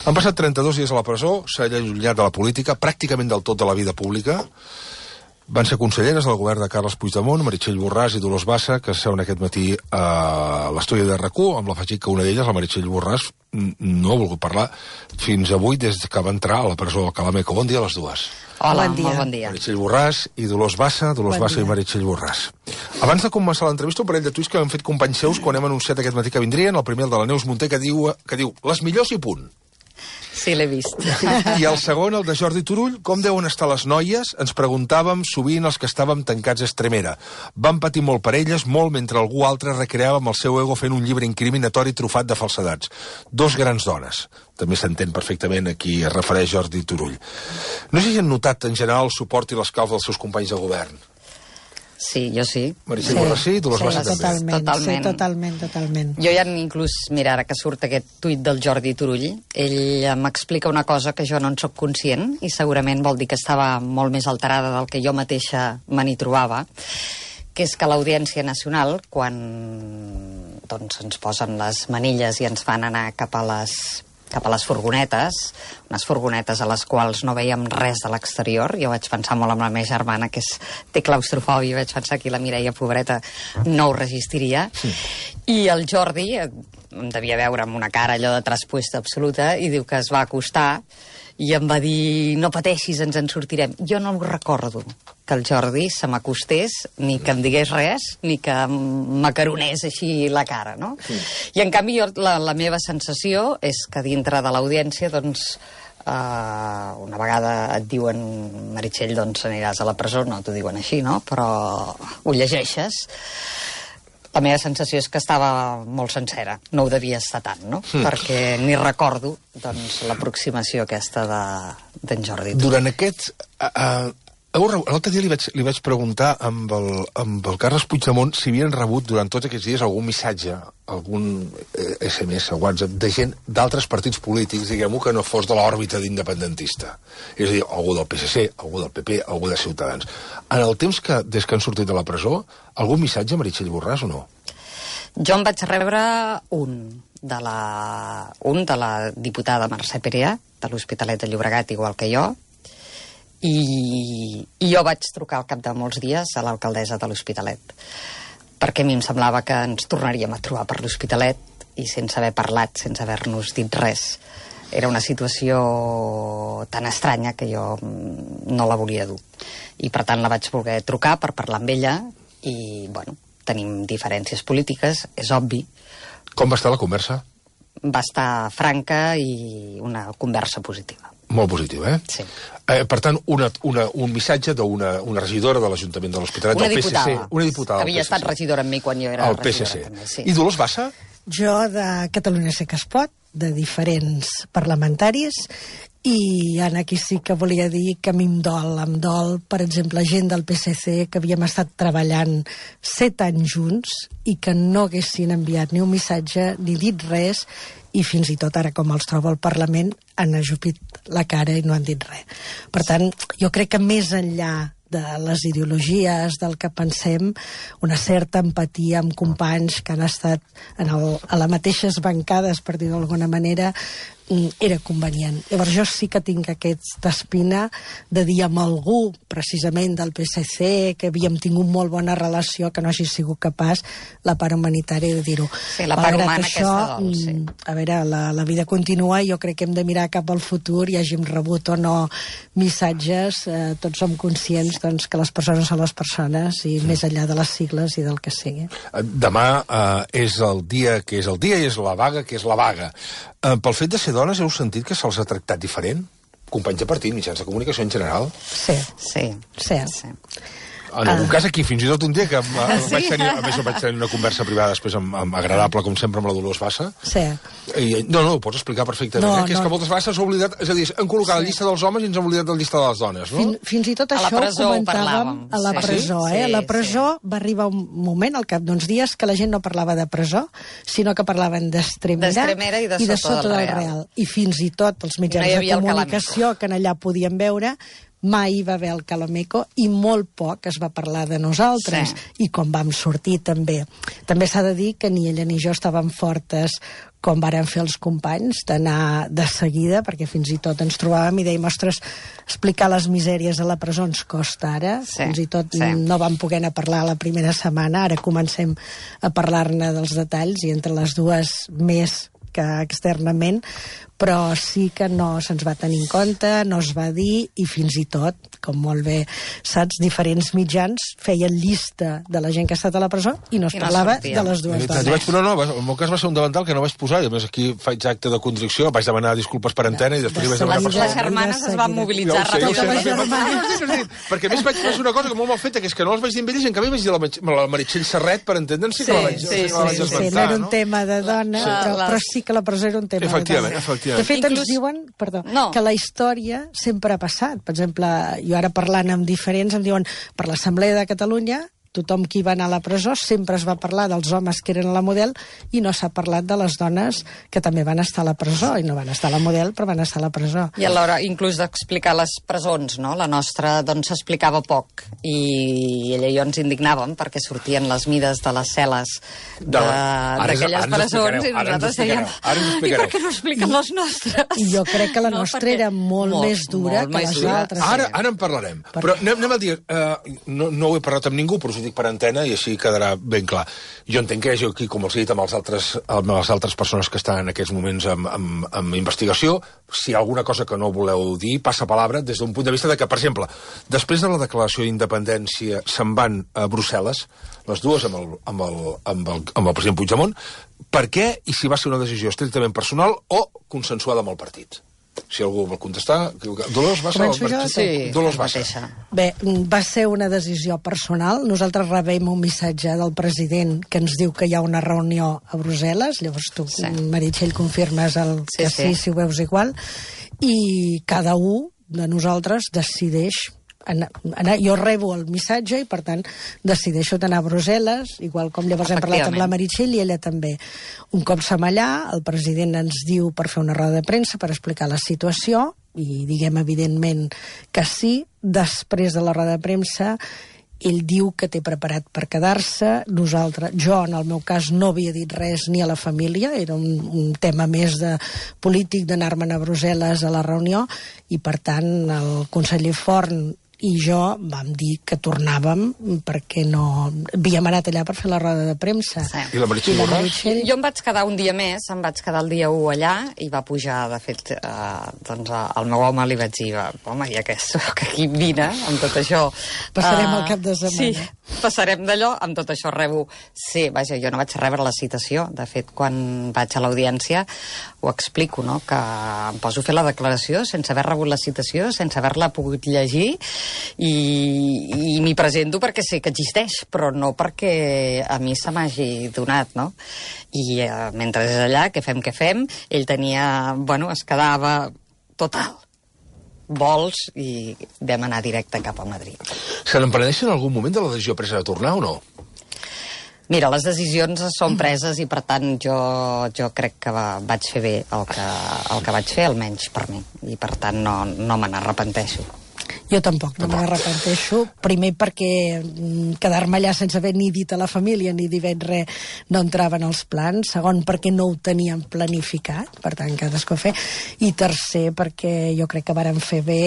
Han passat 32 dies a la presó, s'ha allunyat de la política, pràcticament del tot de la vida pública. Van ser conselleres del govern de Carles Puigdemont, Meritxell Borràs i Dolors Bassa, que seuen aquest matí a l'estudi de RAC1, amb l'afegit que una d'elles, la Meritxell Borràs, no ha volgut parlar fins avui des que va entrar a la presó del Calameco. Bon dia a les dues. Hola, bon dia. Molt bon dia. Meritxell Borràs i Dolors Bassa, i Meritxell Borràs. Abans de començar l'entrevista, un parell de tuits que han fet companys seus quan hem anunciat aquest matí que vindrien. El primer, el de la Neus Munté, que diu les millors i punt. Sí, l'he vist. I el segon, el de Jordi Turull, com deuen estar les noies? Ens preguntàvem sovint els que estàvem tancats a Estremera. Vam patir molt per elles, molt mentre algú altre recreava amb el seu ego fent un llibre incriminatori trufat de falsedats. Dos grans dones. També s'entén perfectament a qui es refereix Jordi Turull. No sé si han notat en general el suport i l'escalf dels seus companys de govern. Sí, jo sí. Meritxell Borràs sí, Dolors Bassa també. Totalment. Jo ja inclús, mira, ara que surt aquest tuit del Jordi Turull, ell m'explica una cosa que jo no en soc conscient i segurament vol dir que estava molt més alterada del que jo mateixa me n'hi trobava, que és que l'Audiència Nacional, quan doncs, ens posen les manilles i ens fan anar cap a les furgonetes, unes furgonetes a les quals no veiem res de l'exterior. Jo vaig pensar molt amb la meva germana, que té claustrofòbia, vaig pensar que la Mireia, pobreta, no ho resistiria. Sí. I el Jordi em devia veure amb una cara allò de traspuesta absoluta i diu que es va acostar i em va dir, no pateixis, ens en sortirem. Jo no ho recordo, que el Jordi se m'acostés, ni que em digués res, ni que m'acaronés així la cara, no? Sí. I en canvi la meva sensació és que dintre de l'audiència, doncs, una vegada et diuen, Meritxell, doncs aniràs a la presó, no t'ho diuen així, no? Però ho llegeixes. La meva sensació és que estava molt sencera. No ho devia estar tant, no? Perquè ni recordo, doncs, l'aproximació aquesta d'en Jordi. Durant aquest... L'altre dia li vaig preguntar amb el Carles Puigdemont si havien rebut durant tots aquests dies algun missatge, algun SMS o WhatsApp de gent d'altres partits polítics, diguem-ho, que no fos de l'òrbita d'independentista. És a dir, algú del PSC, algú del PP, algú de Ciutadans. En el temps que, des que han sortit de la presó, algun missatge, Meritxell Borràs, o no? Jo en vaig rebre un de la diputada Mercè Perea, de l'Hospitalet de Llobregat, igual que jo, i jo vaig trucar al cap de molts dies a l'alcaldessa de l'Hospitalet, perquè a mi em semblava que ens tornaríem a trobar per l'Hospitalet i sense haver parlat, sense haver-nos dit res. Era una situació tan estranya que jo no la volia dur. I per tant la vaig voler trucar per parlar amb ella i, bueno, tenim diferències polítiques, és obvi. Com va estar la conversa? Va estar franca i una conversa positiva. Molt positiu, eh? Sí. Per tant, un missatge d'una regidora de l'Ajuntament de l'Hospitalet, del PSC. Una diputada. Que havia estat regidora amb mi quan jo era regidora. També, sí. I Dolors Bassa? Jo de Catalunya sí que es pot, de diferents parlamentaris, i aquí sí que volia dir que a mi em dol, per exemple, gent del PSC que havíem estat treballant 7 anys junts i que no haguessin enviat ni un missatge ni dit res, i fins i tot ara, com els trobo al Parlament, han ajupit la cara i no han dit res. Per tant, jo crec que més enllà de les ideologies, del que pensem, una certa empatia amb companys que han estat a les mateixes bancades, per dir d'alguna manera, era convenient. Llavors jo sí que tinc aquesta espina de dir amb algú, precisament del PSC, que havíem tingut molt bona relació, que no hagi sigut capaç la part humanitària de dir-ho. Sí, la part humana aquesta dol, sí. A veure, la vida continua i jo crec que hem de mirar cap al futur i hàgim rebut o no missatges, tots som conscients doncs, que les persones són les persones i més enllà de les sigles i del que sigui. Demà és el dia que és el dia i és la vaga que és la vaga. Pel fet de ser dones, heu sentit que se'ls ha tractat diferent? Companys de partit, mitjans de comunicació en general? Sí. En algun cas aquí, fins i tot un dia que vaig tenir una conversa privada després agradable, com sempre, amb la Dolors Bassa. Sí. No, ho pots explicar perfectament, que és que moltes vegades s'ha oblidat, és a dir, han col·locat la llista dels homes i ens han oblidat la llista de les dones, no? Fins i tot això ho comentàvem a la presó, eh? A la presó va arribar un moment, al cap d'uns dies, que la gent no parlava de presó, sinó que parlaven d'Estremera i de Sota del Real. I fins i tot els mitjans de comunicació que allà podien veure mai hi va haver el Calameco i molt poc es va parlar de nosaltres. I com vam sortir també. També s'ha de dir que ni ella ni jo estàvem fortes com varen fer els companys, d'anar de seguida, perquè fins i tot ens trobàvem i dèiem, ostres, explicar les misèries a la presó ens costa ara, fins i tot no vam poder anar a parlar la primera setmana, ara comencem a parlar-ne dels detalls i entre les dues més que externament, però sí que no se'ns va tenir en compte, no es va dir, i fins i tot, com molt bé saps, diferents mitjans feien llista de la gent que ha estat a la presó i no es parlava de les dues dones. No, en el meu cas va ser un davantal que no vaig posar, i a més aquí faig acte de contrició, vaig demanar disculpes per antena i després hi vaig demanar les germanes es van mobilitzar ràpidament. Perquè a més vaig fer una cosa molt mal feta, que és que no les vaig dir amb elles, en canvi vaig dir a la Meritxell Serret, per entendre'n, sí que la vaig esmentar. No era un tema de dona, però sí que la presó era un tema de dona. Efectivament. De fet, ens diuen que la història sempre ha passat. Per exemple, jo ara parlant amb diferents em diuen, per l'Assemblea de Catalunya tothom qui va anar a la presó sempre es va parlar dels homes que eren a la Model i no s'ha parlat de les dones que també van estar a la presó, i no van estar a la Model però van estar a la presó. I a l'hora inclús d'explicar les presons, no? La nostra doncs s'explicava poc i ella i jo ens indignàvem perquè sortien les mides de les cel·les d'aquelles presons i nosaltres dèiem, i per què no expliquen les nostres? I jo crec que la nostra era molt més dura que les altres. Ara en parlarem, però anem a dir, no ho he parlat amb ningú, però us ho dic per antena i així quedarà ben clar. Jo entenc que hi hagi aquí, com els he dit, amb les altres persones que estan en aquests moments amb investigació, si hi ha alguna cosa que no voleu dir, passa palabra des d'un punt de vista de que, per exemple, després de la declaració d'independència se'n van a Brussel·les, les dues amb el president Puigdemont, per què i si va ser una decisió estrictament personal o consensuada amb el partit? Si algú vol contestar... Dolors Bassa? Sí, Dolors Bassa. Bé, va ser una decisió personal. Nosaltres rebem un missatge del president que ens diu que hi ha una reunió a Brussel·les. Llavors tu, Meritxell, confirmes que sí, si ho veus igual. I cada un de nosaltres decideix jo rebo el missatge i per tant decideixo d'anar a Brussel·les, igual com llavors hem parlat amb la Meritxell i ella també. Un cop som allà, el president ens diu per fer una roda de premsa per explicar la situació i diguem evidentment que sí. Després de la roda de premsa ell diu que té preparat per quedar-se. Jo, en el meu cas, no havia dit res ni a la família, era un tema més de polític d'anar-me'n a Brussel·les a la reunió, i per tant el conseller Forn i jo vam dir que tornàvem perquè no havíem anat allà per fer la roda de premsa. I la Meritxell? Jo em vaig quedar un dia més, em vaig quedar el dia 1 allà i va pujar, de fet, doncs al meu home li vaig dir, home, ja que soc aquí, vine, amb tot això. Passarem el cap de setmana. Sí, passarem d'allò, amb tot això rebo... Sí, vaja, jo no vaig rebre la citació. De fet, quan vaig a l'audiència ho explico, no?, que em poso a fer la declaració sense haver rebut la citació, sense haver-la pogut llegir, i m'hi presento perquè sé que existeix, però no perquè a mi se m'hagi donat, no? I mentre és allà, què fem? Ell tenia... es quedava total vols i vam anar directe cap a Madrid. Se n'empenedeixen en algun moment de la decisió presa de tornar o no? Mira, les decisions són preses i, per tant, jo crec que vaig fer bé el que vaig fer, almenys per mi. I, per tant, no me n'arrepenteixo. Jo tampoc, no m'arrepenteixo. Primer perquè quedar-me allà sense haver ni dit a la família ni dit res no entrava en els plans. Segon, perquè no ho teníem planificat, per tant, cadascú fer. I tercer, perquè jo crec que vàrem fer bé,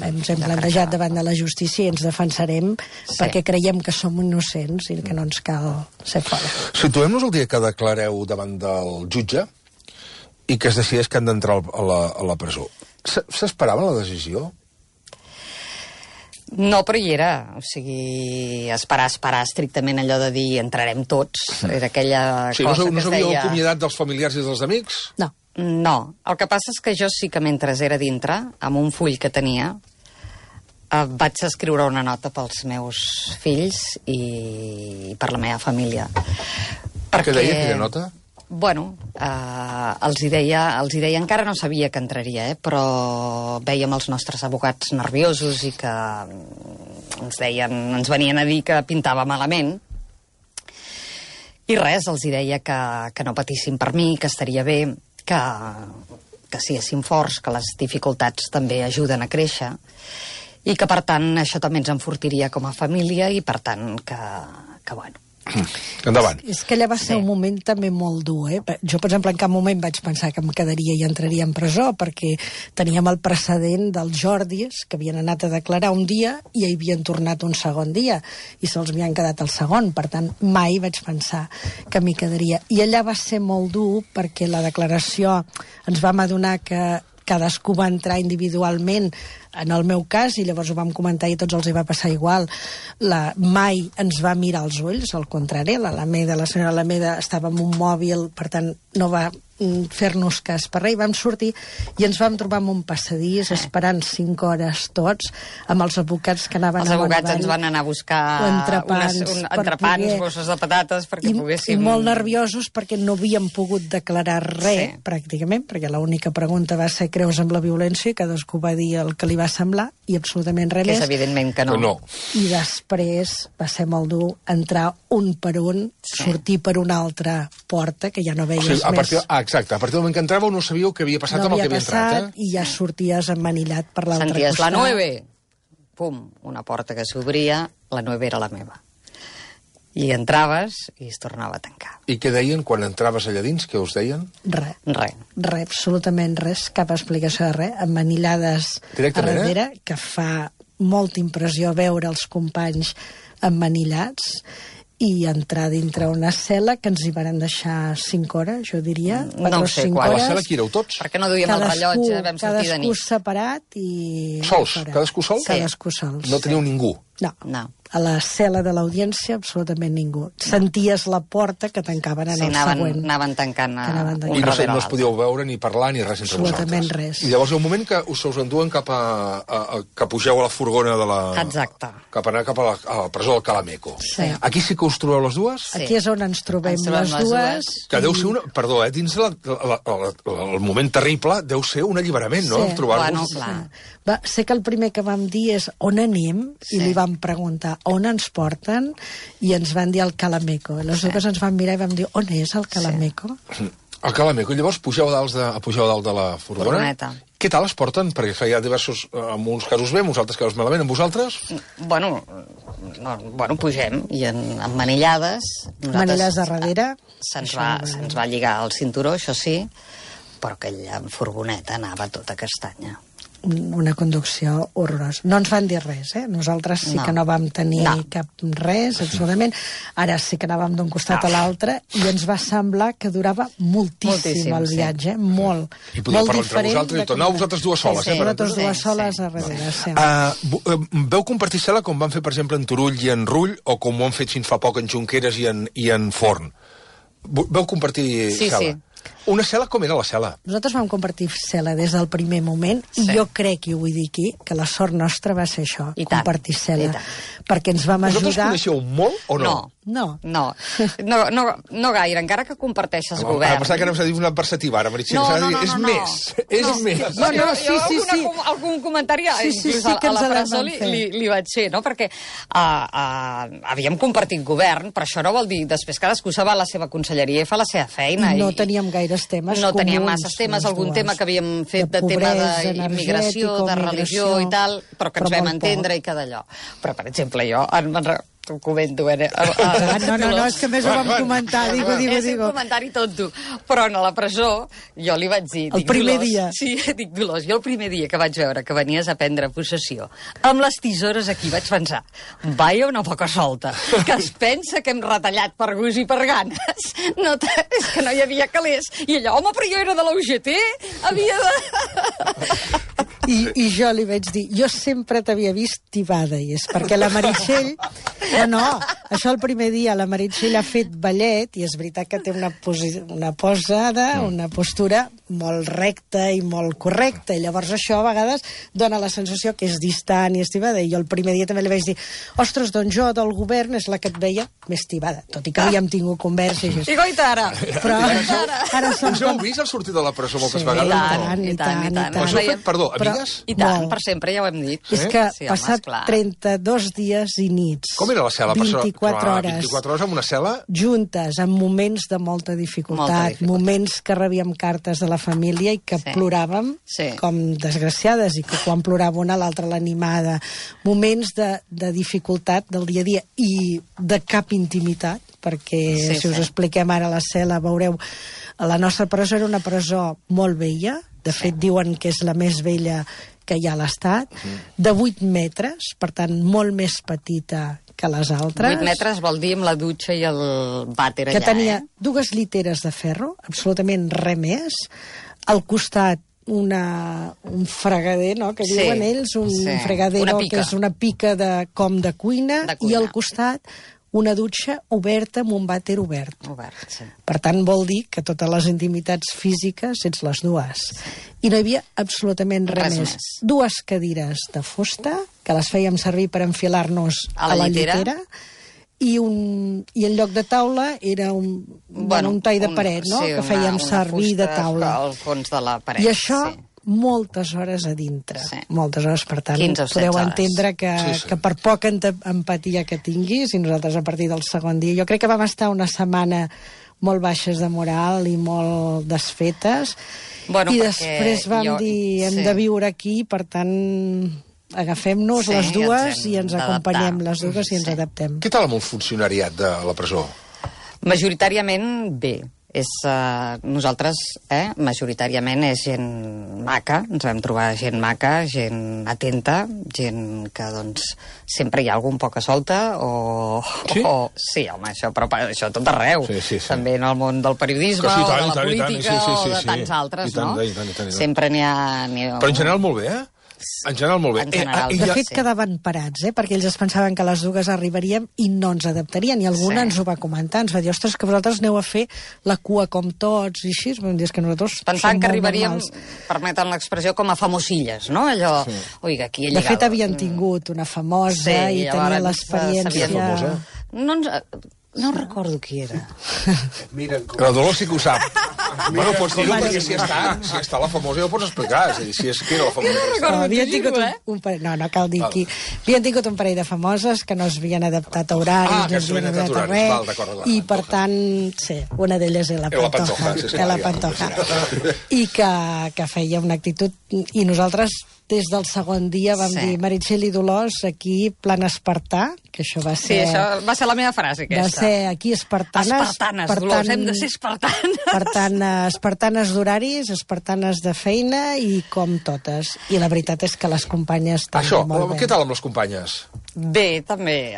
ens hem plantejat davant de la justícia i ens defensarem perquè creiem que som innocents i que no ens cal ser fora. Situem-nos el dia que declareu davant del jutge i que es decideix que han d'entrar a la presó. S'esperava la decisió? No, però hi era. O sigui, esperar estrictament allò de dir entrarem tots. Era aquella cosa que es deia... No s'havíeu acomiadat dels familiars i dels amics? No. No. El que passa és que jo sí que mentre era dintre, amb un full que tenia, vaig escriure una nota pels meus fills i per la meva família. Què deia aquella nota? Bueno, els hi deia, encara no sabia que entraria, però vèiem els nostres advocats nerviosos i que ens venien a dir que pintava malament. I res, els hi deia que no patissin per mi, que estaria bé, que siguessin forts, que les dificultats també ajuden a créixer. I que, per tant, això també ens enfortiria com a família i, per tant, que bueno... Endavant. És que allà va ser un moment també molt dur, Jo, per exemple, en cap moment vaig pensar que em quedaria i entraria en presó, perquè teníem el precedent dels Jordis, que havien anat a declarar un dia i hi havien tornat un segon dia, i se'ls havien quedat el segon. Per tant, mai vaig pensar que m'hi quedaria. I allà va ser molt dur, perquè la declaració ens vam adonar que cadascú va entrar individualment, en el meu cas, i llavors ho vam comentar i tots els hi va passar igual, mai ens va mirar als ulls, al contrari, la senyora Alameda estava amb un mòbil, per tant no va fer-nos cas per res, i vam sortir i ens vam trobar en un passadís esperant 5 hores tots, amb els advocats que anaven els advocats ens van anar a buscar entrepans, bosses de patates perquè poguéssim... I molt nerviosos perquè no havíem pogut declarar res, pràcticament, perquè l'única pregunta va ser: creus en la violència? I cadascú va dir el que li va semblar i absolutament res més. Que és evidentment que no. I després va ser molt dur entrar un per un, sortir per una altra porta que ja no veies més. Exacte, a partir del moment que entràveu no sabíeu què havia passat amb el que havia entrat. I ja sorties emmanillat per l'altre costat. Senties la 9, pum, una porta que s'obria, la 9 era la meva. I entraves i es tornava a tancar. I què deien quan entraves allà dins? Què us deien? Res, absolutament res, cap explicació de res, emmanillades a darrere, que fa molta impressió veure els companys emmanillats, i entrar dintre una cel·la que ens hi van deixar 5 hores, jo diria. No ho sé, quan. A la cel·la qui éreu tots? Perquè no duíem el rellotge, vam sortir de nit. Cadascú separat i... Sols? Cadascú sol? Cadascú sols. No teniu ningú? No. A la cel·la de l'audiència, absolutament ningú. Senties la porta que tancaven en el següent. Anaven tancant un I no darrere us podíeu veure ni parlar ni res entre vosaltres. Absolutament res. I llavors hi ha un moment que us enduen que pugeu a la furgona de la... Exacte. Cap a anar cap a la presó del Calameco. Sí. Aquí sí que us trobeu les dues? Sí. Aquí és on ens trobem les dues. Que deu ser una... Perdó, dins el moment terrible deu ser un alliberament, no? Bueno, clar. Sé que el primer que vam dir és on anem, i li vam preguntar on ens porten, i ens van dir al Calameco. Aleshores ens vam mirar i vam dir on és el Calameco? El Calameco. Llavors pugeu a dalt de la furgoneta. Què tal es porten? Perquè hi ha diversos... En uns casos bé, en uns altres casos malament. En vosaltres? Bueno, pugem, i emmanillades... Manillades de darrere. Se'ns va lligar el cinturó, això sí, però aquella furgoneta anava tota castanya. Una conducció horrorosa. No ens van dir res, Nosaltres sí que no vam tenir cap res, absolutament. Ara sí que anàvem d'un costat a l'altre i ens va semblar que durava moltíssim el viatge, molt. I podeu parlar entre vosaltres i tot. No, vosaltres dues soles, Vosaltres dues soles a darrere, sí. Veu compartir cel·la com van fer, per exemple, en Turull i en Rull, o com ho han fet fins fa poc en Junqueras i en Forn? Veu compartir cel·la? Sí. Una cel·la, com era la cel·la? Nosaltres vam compartir cel·la des del primer moment, i jo crec, i ho vull dir aquí, que la sort nostra va ser això, compartir cel·la. Perquè ens vam ajudar... Vosaltres coneixeu molt o no? No gaire, encara que comparteixes govern. Ara pensava que anaves a dir una adversativa, ara, Meritxell. És més. Sí. Algun comentari, inclús a la presó li vaig fer, no? Perquè havíem compartit govern, però això no vol dir després cadascú se va a la seva conselleria i fa la seva feina. No teníem gaires temes comuns. No teníem masses temes, algun tema que havíem fet de tema d'immigració, de religió i tal, però que ens vam entendre i que d'allò. Però, per exemple, jo t'ho comento, No, és que més ho vam comentar, digo. És un comentari tonto, però a la presó jo li vaig dir... El primer dia. Sí, dic, Dolors, jo el primer dia que vaig veure que venies a prendre possessió, amb les tisores aquí vaig pensar, vaia una poca solta, que es pensa que hem retallat per gust i per ganes. És que no hi havia calés. I allò, home, però jo era de la UGT, havia de... I jo li vaig dir, jo sempre t'havia vist tibada, i és perquè la Meritxell... No, això el primer dia la Meritxell ha fet ballet, i és veritat que té una posada, una postura molt recta i molt correcta, i llavors això a vegades dona la sensació que és distant i és tibada, i jo el primer dia també li vaig dir, ostres, doncs jo del govern és la que et veia més tibada, tot i que havíem tingut conversa i això. I goita ara! Però ara us heu vist al sortir de la presó moltes vegades? I tant. Us heu fet, perdó, amigues? I tant, per sempre, ja ho hem dit. És que passat 32 dies i nits... Com era la cel·la? 24 hores. 24 hores amb una cel·la? Juntes, en moments de molta dificultat, moments que rebíem cartes de la la família i que ploràvem com desgraciades, i que quan plorava una l'altra l'animada. Moments de dificultat del dia a dia i de cap intimitat, perquè si us expliquem ara la cel·la veureu, la nostra presó era una presó molt vella, de fet diuen que és la més vella que hi ha a l'Estat, de 8 metres, per tant molt més petita que les altres. 8 metres vol dir amb la dutxa i el vàter allà, que tenia 2 lliteres de ferro, absolutament res més, al costat un fregader, no?, que diuen ells, un fregadero que és una pica com de cuina, i al costat una dutxa oberta amb un vàter obert. Per tant, vol dir que totes les intimitats físiques ets les dues. I no hi havia absolutament res més. 2 cadires de fusta, que les fèiem servir per enfilar-nos a la llitera, i en lloc de taula era un tall de paret, no?, que fèiem servir de taula. Al fons de la paret. I això moltes hores a dintre. Moltes hores, per tant, podeu entendre que per poca empatia que tinguis, i nosaltres a partir del segon dia, jo crec que vam estar una setmana molt baixes de moral i molt desfetes, i després vam dir hem de viure aquí, per tant agafem-nos les dues i ens acompanyem les dues i ens adaptem. Què tal amb el funcionariat de la presó? Majoritàriament bé. Nosaltres, majoritàriament és gent maca, ens vam trobar gent maca, gent atenta, gent que, doncs, sempre hi ha algun poca solta, sí, home, però això tot arreu. També en el món del periodisme, o de la política, o de tants altres, no? Sempre n'hi ha... Però en general molt bé, En general, molt bé. De fet, quedaven parats, perquè ells es pensaven que a les 2 arribaríem i no ens adaptarien, i alguna ens ho va comentar, ens va dir, ostres, que vosaltres aneu a fer la cua com tots, i així, vam dir, que nosaltres pensant que arribaríem, permeten l'expressió, com a famosilles, no? Allò, oiga, aquí he lligat. De fet, havien tingut una famosa i tenia l'experiència... No recordo qui era. La Dolors sí que ho sap. Bueno, pots dir-ho, perquè si està la famosa ja ho pots explicar. Si és que era la famosa. Havien tingut un parell... No cal dir qui. Havien tingut un parell de famoses que no s'havien adaptat a horaris, no s'havien adaptat a res, i per tant, sí, una d'elles era la Pantoja. I que feia una actitud... I nosaltres, des del segon dia, vam dir, Meritxell i Dolors, aquí, plan espartà, que això va ser... Sí, això va ser la meva frase, aquesta. Va ser aquí espartanes. Espartanes, Dolors, hem de ser espartanes. Per tant, espartanes d'horaris, espartanes de feina, i com totes. I la veritat és que les companyes també molt bé. Què tal amb les companyes? Bé, també.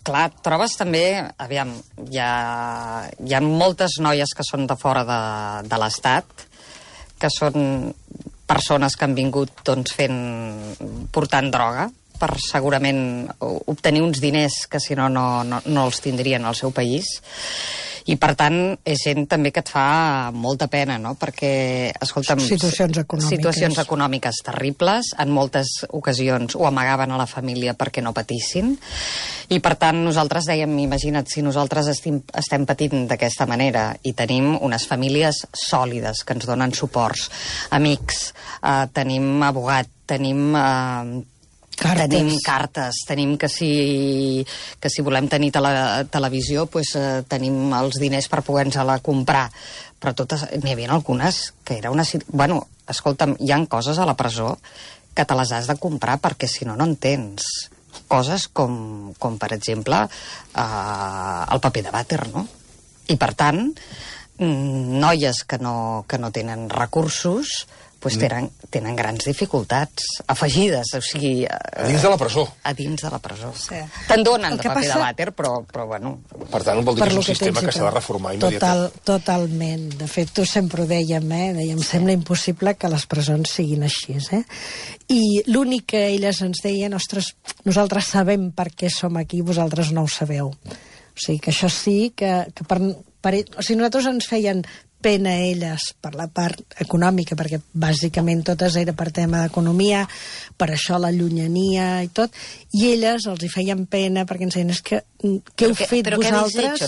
Clar, trobes també... Aviam, hi ha moltes noies que són de fora de l'Estat, que són persones que han vingut portant droga per segurament obtenir uns diners que si no els tindrien al seu país. I, per tant, és gent també que et fa molta pena, no? Perquè, escolta'm... Situacions econòmiques terribles, en moltes ocasions ho amagaven a la família perquè no patissin, i, per tant, nosaltres dèiem, imagina't, si nosaltres estem patint d'aquesta manera i tenim unes famílies sòlides que ens donen suports, amics, tenim abogat, tenim cartes, tenim que si volem tenir televisió, tenim els diners per poder-nos-la comprar. Però n'hi havia algunes que era una... Bueno, escolta'm, hi ha coses a la presó que te les has de comprar perquè si no en tens. Coses com per exemple, el paper de vàter, no? I, per tant, noies que no tenen recursos tenen grans dificultats afegides, o sigui... A dins de la presó. A dins de la presó. Te'n donen de paper de vàter, però bueno... Per tant, vol dir que és un sistema que s'ha de reformar immediatament. Totalment. De fet, tu sempre ho dèiem, sembla impossible que les presons siguin així, I l'únic que elles ens deien, ostres, nosaltres sabem per què som aquí, vosaltres no ho sabeu. O sigui, que això sí, que o sigui, nosaltres ens feien pena a elles per la part econòmica, perquè bàsicament totes era per tema d'economia, per això la llunyania i tot, i elles els hi feien pena perquè ens deien, què heu fet vosaltres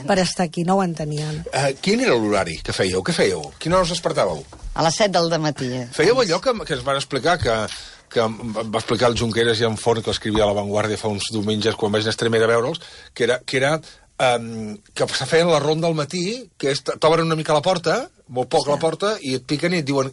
per estar aquí? No ho entenien. Quin era l'horari que fèieu? Què fèieu? Quina hora us despertàveu? A les 7 del matí. Fèieu allò que ens van explicar, que va explicar el Junqueras i en Forn, que escrivia a La Vanguardia fa uns diumenges quan vaig anar a Extremadura a veure'ls, que era que se feien la ronda al matí, que t'obren una mica la porta, molt poc la porta, i et piquen i et diuen,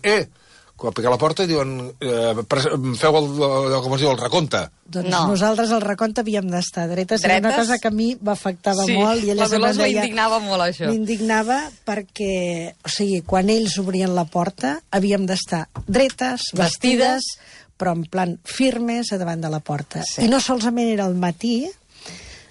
quan pica la porta i diuen, feu com es diu, el recompte. Doncs nosaltres al recompte havíem d'estar dretes. Era una cosa que a mi m'afectava molt. I la Dolors m'indignava molt, això. M'indignava perquè, o sigui, quan ells obrien la porta, havíem d'estar dretes, vestides, però en plan firmes a davant de la porta. I no solament era al matí,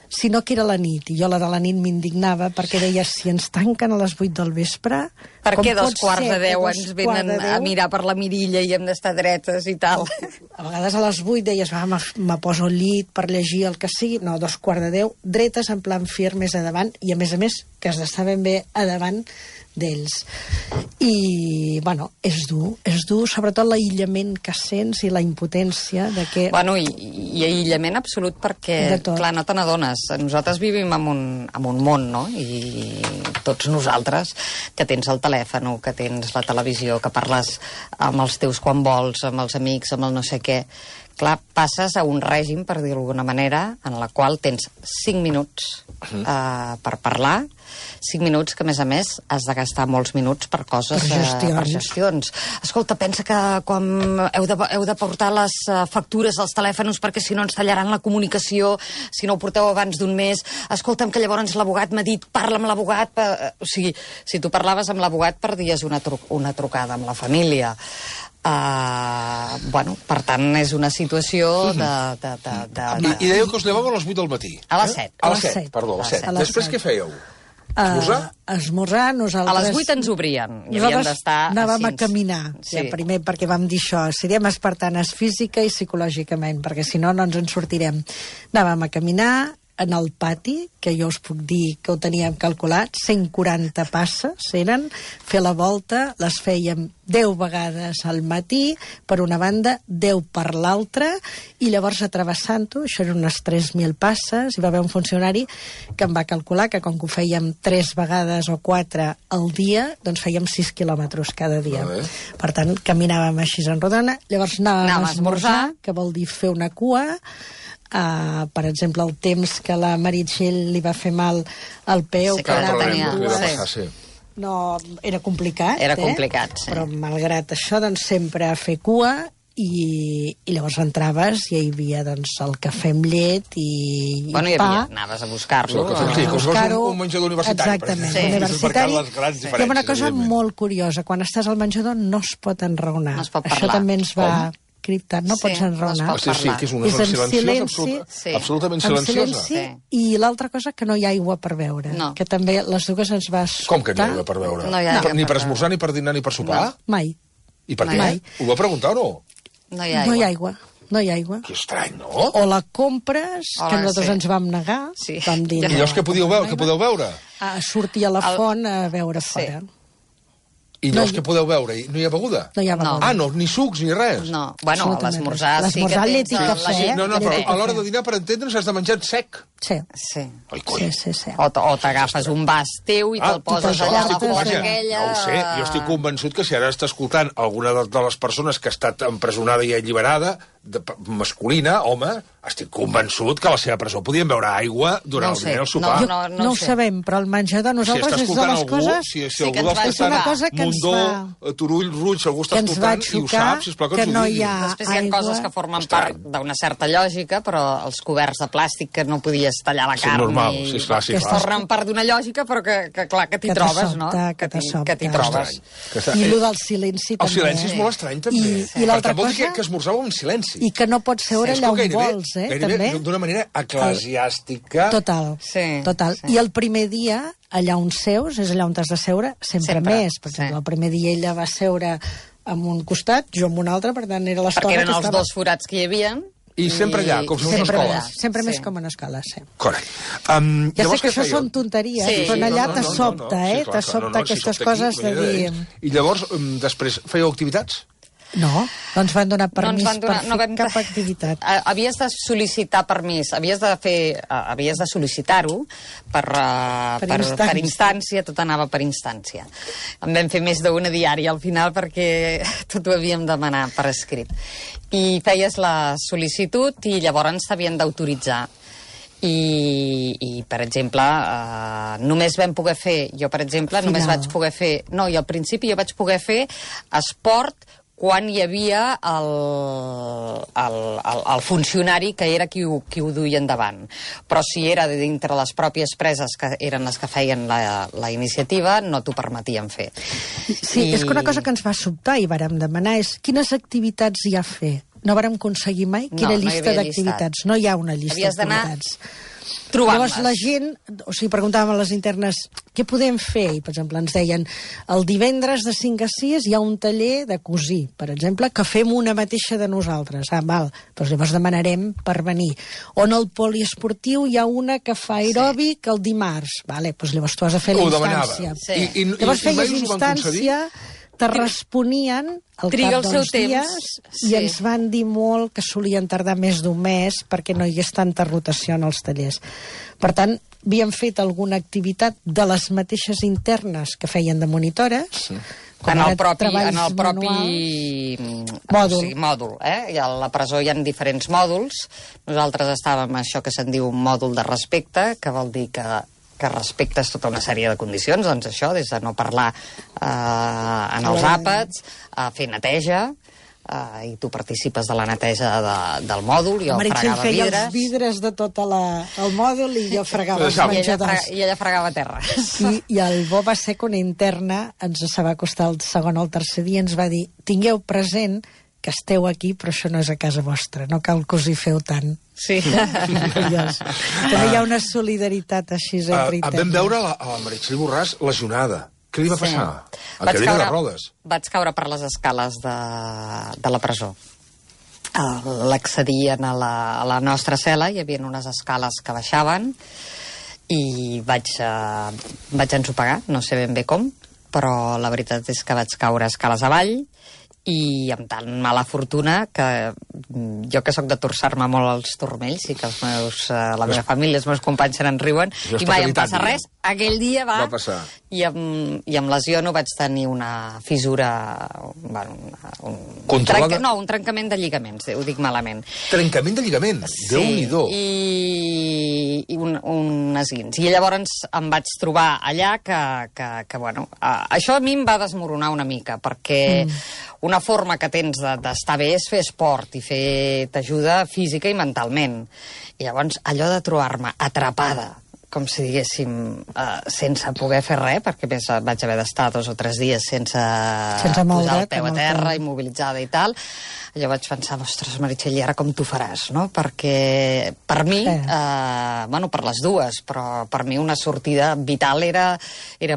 sinó que era la nit, i jo la de la nit m'indignava perquè deia, si ens tanquen a les 8 del vespre... Per què 2:45 ens venen a mirar per la mirilla i hem d'estar dretes i tal? A vegades a les 8 deies, me poso al llit per llegir el que sigui. No, 2:45, dretes en plan firmes a davant, i a més, que has d'estar ben bé a davant d'ells. I, bueno, és dur, sobretot l'aïllament que sents i la impotència de que... Bueno, i aïllament absolut perquè, clar, no te n'adones. Nosaltres vivim en un món, no? I tots nosaltres, que tens el telèfon, que tens la televisió, que parles amb els teus quan vols, amb els amics, amb el no sé què... Clar, passes a un règim, per dir-ho d'alguna manera, en la qual tens 5 minuts per parlar, 5 minuts que, a més, has de gastar molts minuts per coses... Per gestions. Escolta, pensa que quan heu de portar les factures als telèfons perquè si no ens tallaran la comunicació, si no ho porteu abans d'un mes. Escolta'm, que llavors l'abogat m'ha dit, parla amb l'abogat... O sigui, si tu parlaves amb l'abogat perdies una trucada amb la família. Bueno, per tant, és una situació de... I dèieu que us llevàveu a les 8 del matí. A les 7. A les 7, perdó, a les 7. Després què fèieu? Esmorzar? Esmorzar, nosaltres... A les 8 ens obrien. I havíem d'estar... Anàvem a caminar. Ja, primer perquè vam dir això, seriem espartanes física i psicològicament, perquè si no, no ens en sortirem. Anàvem a caminar en el pati, que jo us puc dir que ho teníem calculat, 140 passes eren, fer la volta, les fèiem 10 vegades al matí, per una banda, 10 per l'altra, i llavors atravessant-ho, això eren unes 3.000 passes, hi va haver un funcionari que em va calcular que com que ho fèiem 3 vegades o 4 al dia, doncs fèiem 6 quilòmetres cada dia. Per tant, caminàvem així en rodona, llavors anàvem a esmorzar, que vol dir fer una cua. Per exemple, el temps que la Meritxell li va fer mal al peu, que ara tenia... No, era complicat. Era complicat, sí. Però malgrat això, doncs, sempre a fer cua, i llavors entraves i hi havia doncs, el cafè amb llet i bueno, pa. Anaves a buscar-lo. Sí, com si fos un menjador universitari. Exactament, universitari. Hi ha una cosa molt curiosa. Quan estàs al menjador no es pot enraonar. No es pot parlar. Això també ens va... criptat, no pots enraonar. Sí, que és una cosa silenciosa, absolutament silenciosa. I l'altra cosa, que no hi ha aigua per beure, que també les dues ens va sobtar. Com que no hi ha aigua per beure? Ni per esmorzar, ni per dinar, ni per sopar? Mai. I per què? Ho va preguntar o no? No hi ha aigua. No hi ha aigua. Que estrany, no? O la compres, que nosaltres ens vam negar. Vam dir, i llavors què podeu veure? Sortir a la font a beure fora. I llavors què podeu veure? No hi ha beguda? No hi ha beguda. No, ni sucs ni res? No, bueno, a l'esmorzar sí que llet i cafè. No, però a l'hora de dinar, per entendre'ns, has de menjar sec. Sí. Ai, coi. O t'agafes un vas teu i te'l poses allà a la porta aquella... No ho sé, jo estic convençut que si ara està escoltant alguna de les persones que ha estat empresonada i alliberada, masculina, home, estic convençut que a la seva presó podien beure aigua durant el dinar i el sopar. No ho sabem, però el menjador nosaltres és de les coses... Si algú està escoltant Mundó, Turull, Ruig, si algú està escoltant i ho sap, sisplau que ens ho digui. Després hi ha coses que formen part d'una certa lògica, però els coberts de plàstic que no podies tallar la carn normal, que formen part d'una lògica, però que clar, que t'hi trobes, no? Que t'hi trobes. I el del silenci també. El silenci és molt estrany, també. I l'altra cosa... Vol dir que esmorzàveu en silenci. I que no pots seure allà on vols, gairebé d'una manera eclesiàstica. Total. I el primer dia, allà on seus, és allà on t'has de seure, sempre més. Per exemple, el primer dia ella va seure en un costat, jo en un altre, per tant era l'escola que estava... Perquè eren els 2 forats que hi havia... I sempre allà, com si fos una escola. Sempre més com una escola, sí. Correcte. Ja sé que això són tonteries, però allà te sobta, te sobta aquestes coses de dir... I llavors, després, fèieu activitats? No ens van donar permís per fer cap activitat. Havies de sol·licitar permís, havies de sol·licitar-ho per instància, tot anava per instància. En vam fer més d'una diària al final perquè tot ho havíem de demanar per escrit. I feies la sol·licitud i llavors t'havien d'autoritzar. I per exemple, només vam poder fer, jo per exemple, només vaig poder fer, no, i al principi jo vaig poder fer esport quan hi havia el funcionari que era qui ho duia endavant. Però si era dintre les pròpies preses, que eren les que feien la iniciativa, no t'ho permetien fer. Sí, és que una cosa que ens va sobtar i vàrem demanar és quines activitats hi ha a fer. No vàrem aconseguir mai quina llista d'activitats. No hi ha una llista d'activitats. Llavors la gent, o sigui, preguntàvem a les internes què podem fer, i per exemple ens deien el divendres de 5 a 6 hi ha un taller de cosir, per exemple, que fem una mateixa de nosaltres. Val, doncs llavors demanarem per venir. O en el poliesportiu hi ha una que fa aeròbic el dimarts, vale, doncs llavors tu has de fer la instància. Llavors feies instància, te responien al cap dels dies i ens van dir molt que solien tardar més d'un mes perquè no hi hagués tanta rotació en els tallers. Per tant, havíem fet alguna activitat de les mateixes internes que feien de monitores, en el propi mòdul. I a la presó hi ha diferents mòduls. Nosaltres estàvem en això que se'n diu un mòdul de respecte, que vol dir que respectes tota una sèrie de condicions, doncs això, des de no parlar en els àpats, a fer neteja, i tu participes de la neteja del mòdul, jo fregava vidres. Feia els vidres de tot el mòdul i jo fregava els menjadors. I ella fregava terres. I el bo va ser que una interna ens va costar el segon o el tercer dia, ens va dir, tingueu present que esteu aquí, però això no és a casa vostra, no cal que us hi feu tant. Sí. També hi ha una solidaritat així entre interns. Vam veure a la Meritxell Borràs lesionada. Què li va passar? A cadira de rodes. Vaig caure per les escales de la presó. L'accedien a la nostra cel·la, hi havia unes escales que baixaven, i vaig ensopegar, no sé ben bé com, però la veritat és que vaig caure escales avall, i amb tan mala fortuna que jo, que soc de torçar-me molt als turmells, i que la meva família, els meus companys se n'en riuen, i mai em passa res, aquell dia va passar. I amb lesió no vaig tenir una fissura, un trencament de lligaments, ho dic malament. Trencament de lligaments? Déu-n'hi-do. I un esguins. I llavors em vaig trobar allà que això a mi em va desmoronar una mica, perquè una forma que tens d'estar bé és fer esport i t'ajuda física i mentalment. I llavors allò de trobar-me atrapada, com si diguéssim, sense poder fer res, perquè més vaig haver d'estar 2 o 3 dies sense posar el peu a terra, immobilitzada i tal, allò vaig pensar, ostres, Meritxell, i ara com t'ho faràs, no? Perquè per mi, per les dues, però per mi una sortida vital era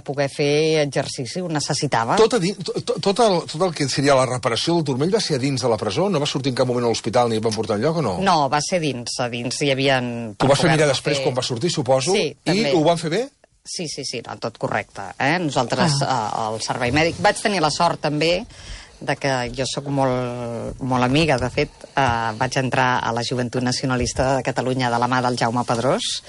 poder fer exercici, ho necessitava. Tot el que seria la reparació del turmell va ser a dins de la presó? No va sortir en cap moment a l'hospital ni et van portar enlloc o no? No, va ser dins. A dins hi havia... Ho vas fer mirar després quan va sortir, suposo? Sí, també. I ho van fer bé? Sí, no, tot correcte. Nosaltres, al servei mèdic, vaig tenir la sort també de que jo sóc molt amiga, de fet, vaig entrar a la Joventut Nacionalista de Catalunya de la mà del Jaume Pedrós,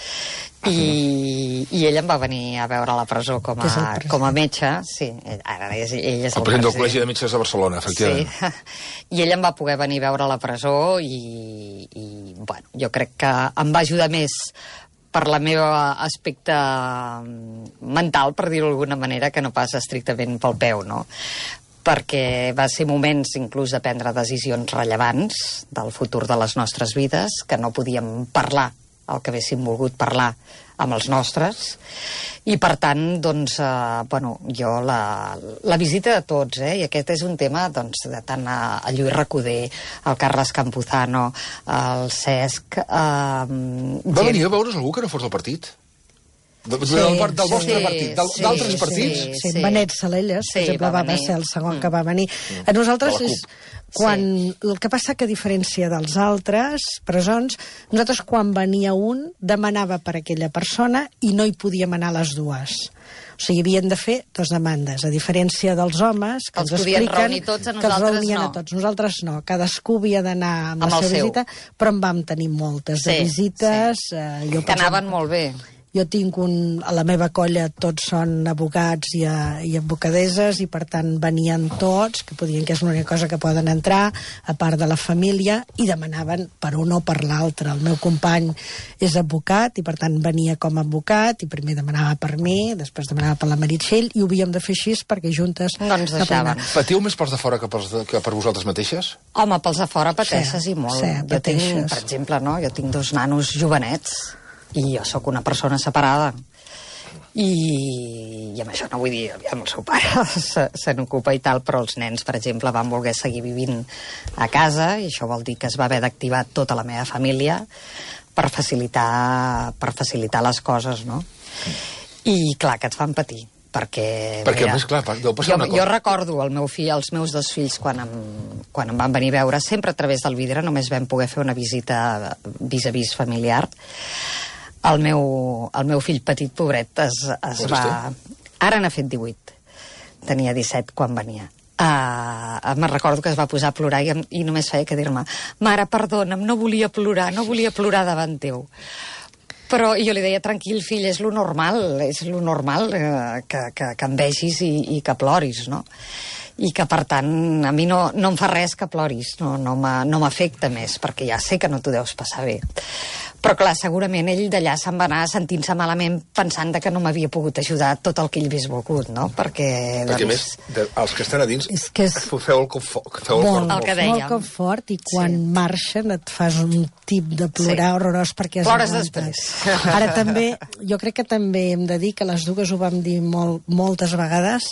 i ell em va venir a veure a la presó com a metge. Sí, ara ell és el president del Col·legi de Metges de Barcelona, efectivament. Sí, i ell em va poder venir a veure a la presó i jo crec que em va ajudar més per la meva aspecte mental, per dir-ho d'alguna manera, que no pas estrictament pel peu, no? Perquè va ser moments inclús de prendre decisions rellevants del futur de les nostres vides, que no podíem parlar el que haguéssim volgut parlar amb els nostres, i per tant, doncs, jo la visita de tots, i aquest és un tema, doncs, de tant a Lluís Recoder, al Carles Campuzano, al Cesc... Va venir a veure's algú que no fos del partit? Del vostre partit, d'altres partits? Sí, Benet Salelles, per exemple, va ser el segon que va venir. A nosaltres és quan... El que passa que, a diferència dels altres presons, nosaltres quan venia un demanava per aquella persona i no hi podíem anar les dues. O sigui, havien de fer 2 demandes, a diferència dels homes, que ens expliquen que els reunien a tots. Nosaltres no, cadascú havia d'anar amb la seva visita, però en vam tenir moltes de visites. Que anaven molt bé. Jo tinc a la meva colla tots són advocats i advocadeses, i per tant venien tots, que podien que és l'única cosa que poden entrar, a part de la família, i demanaven per un o per l'altre. El meu company és advocat i per tant venia com a advocat, i primer demanava per mi, després demanava per la Meritxell, i ho havíem de fer així perquè juntes... No ens deixaven. Patiu més pels de fora que per vosaltres mateixes? Home, pels de fora pateixes i molt. Sí, jo tinc, per exemple, jo tinc 2 nanos jovenets, i jo sóc una persona separada. I amb això no vull dir, el seu pare se n'ocupa i tal, però els nens, per exemple, van voler seguir vivint a casa, i això vol dir que es va haver d'activar tota la meva família per facilitar les coses, no? I clar, que et fan patir. Perquè a més, clar, deu passar una cosa. Jo recordo els meus 2 fills quan em van venir a veure, sempre a través del vidre, només vam poder fer una visita vis a vis familiar. El meu fill petit, pobret, es va... Ara n'ha fet 18. Tenia 17 quan venia. Me'n recordo que es va posar a plorar i només feia que dir-me: mare, perdona'm, no volia plorar davant teu. Però jo li deia: tranquil, fill, és lo normal que em vegis i que ploris, no? I que, per tant, a mi no em fa res que ploris, no m'afecta més, perquè ja sé que no t'ho deus passar bé. Però, clar, segurament ell d'allà se'n va anar sentint-se malament, pensant que no m'havia pogut ajudar tot el que ell hagués volgut, no? Perquè a més, els que estan a dins, feu el cop fort. Molt cop fort, i quan marxen et fas un tip de plorar horrorós perquè has plores aguantat. després. Ara també, jo crec que també hem de dir que les dues ho vam dir moltes vegades,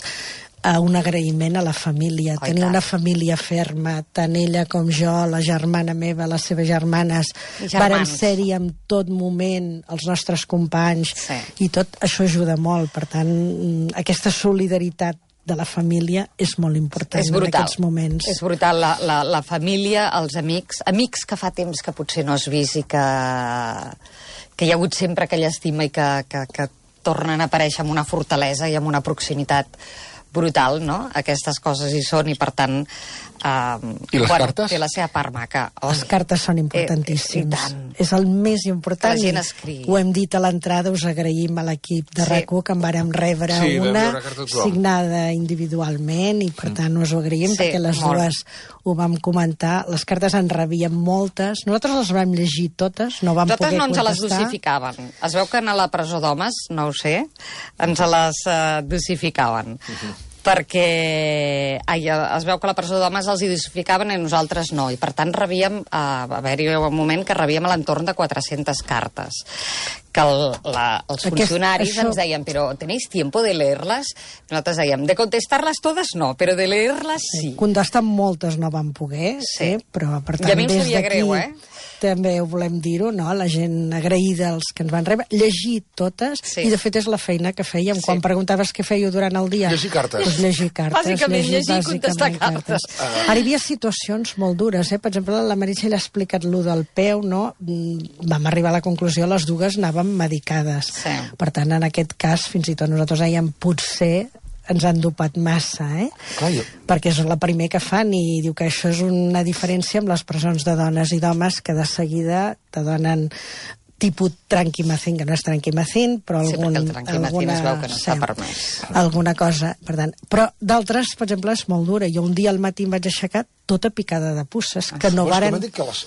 un agraïment a la família. Tenir una família ferma, tant ella com jo, la germana meva, les seves germanes, vàrem ser-hi en tot moment, els nostres companys, i tot això ajuda molt. Per tant, aquesta solidaritat de la família és molt important en aquests moments. És brutal, la família, els amics que fa temps que potser no has vist i que hi ha hagut sempre aquella estima i que tornen a aparèixer amb una fortalesa i amb una proximitat brutal, no? Aquestes coses hi són, i per tant I les cartes? Té la seva part maca. Les cartes són importantíssimes. És el més important. La gent escriu. Ho hem dit a l'entrada, us agraïm a l'equip de RAC1 que en vàrem rebre una signada individualment, i per tant us ho agraïm perquè les dues ho vam comentar. Les cartes en rebíem moltes. Nosaltres les vam llegir totes, no vam poder contestar. Nosaltres no ens les dosificaven. Es veu que a la presó d'homes, no ho sé, ens les dosificaven. Perquè es veu que a la presó d'homes els identificaven i nosaltres no, i per tant rebíem, va haver-hi un moment que rebíem a l'entorn de 400 cartes, que els funcionaris ens deien: però ¿tenéis tiempo de leerlas? Nosaltres dèiem: de contestarlas todas no, però de leerlas sí. Contestar moltes no vam poder, però per tant, i a mi em sabia greu, també ho volem dir-ho, no? La gent agraïda, els que ens van rebre, llegir totes, i de fet és la feina que fèiem. Quan preguntaves què fèieu durant el dia... Llegir cartes. Doncs llegir cartes. Bàsicament llegir i contestar cartes. Ara hi havia situacions molt dures, per exemple, la Meritxell ha explicat lo del peu, no? Vam arribar a la conclusió, les dues anàvem medicades. Per tant, en aquest cas, fins i tot nosaltres dèiem, potser ens han dopat massa, perquè és el primer que fan, i diu que això és una diferència amb les presons de dones i d'homes, que de seguida te donen tipus tranquimacin, que no és tranquimacin, però perquè el tranquimacin es veu que no està permès. Alguna cosa, per tant. Però d'altres, per exemple, és molt dura. Jo un dia al matí em vaig aixecar tota picada de puces, que no varen... M'han dit que les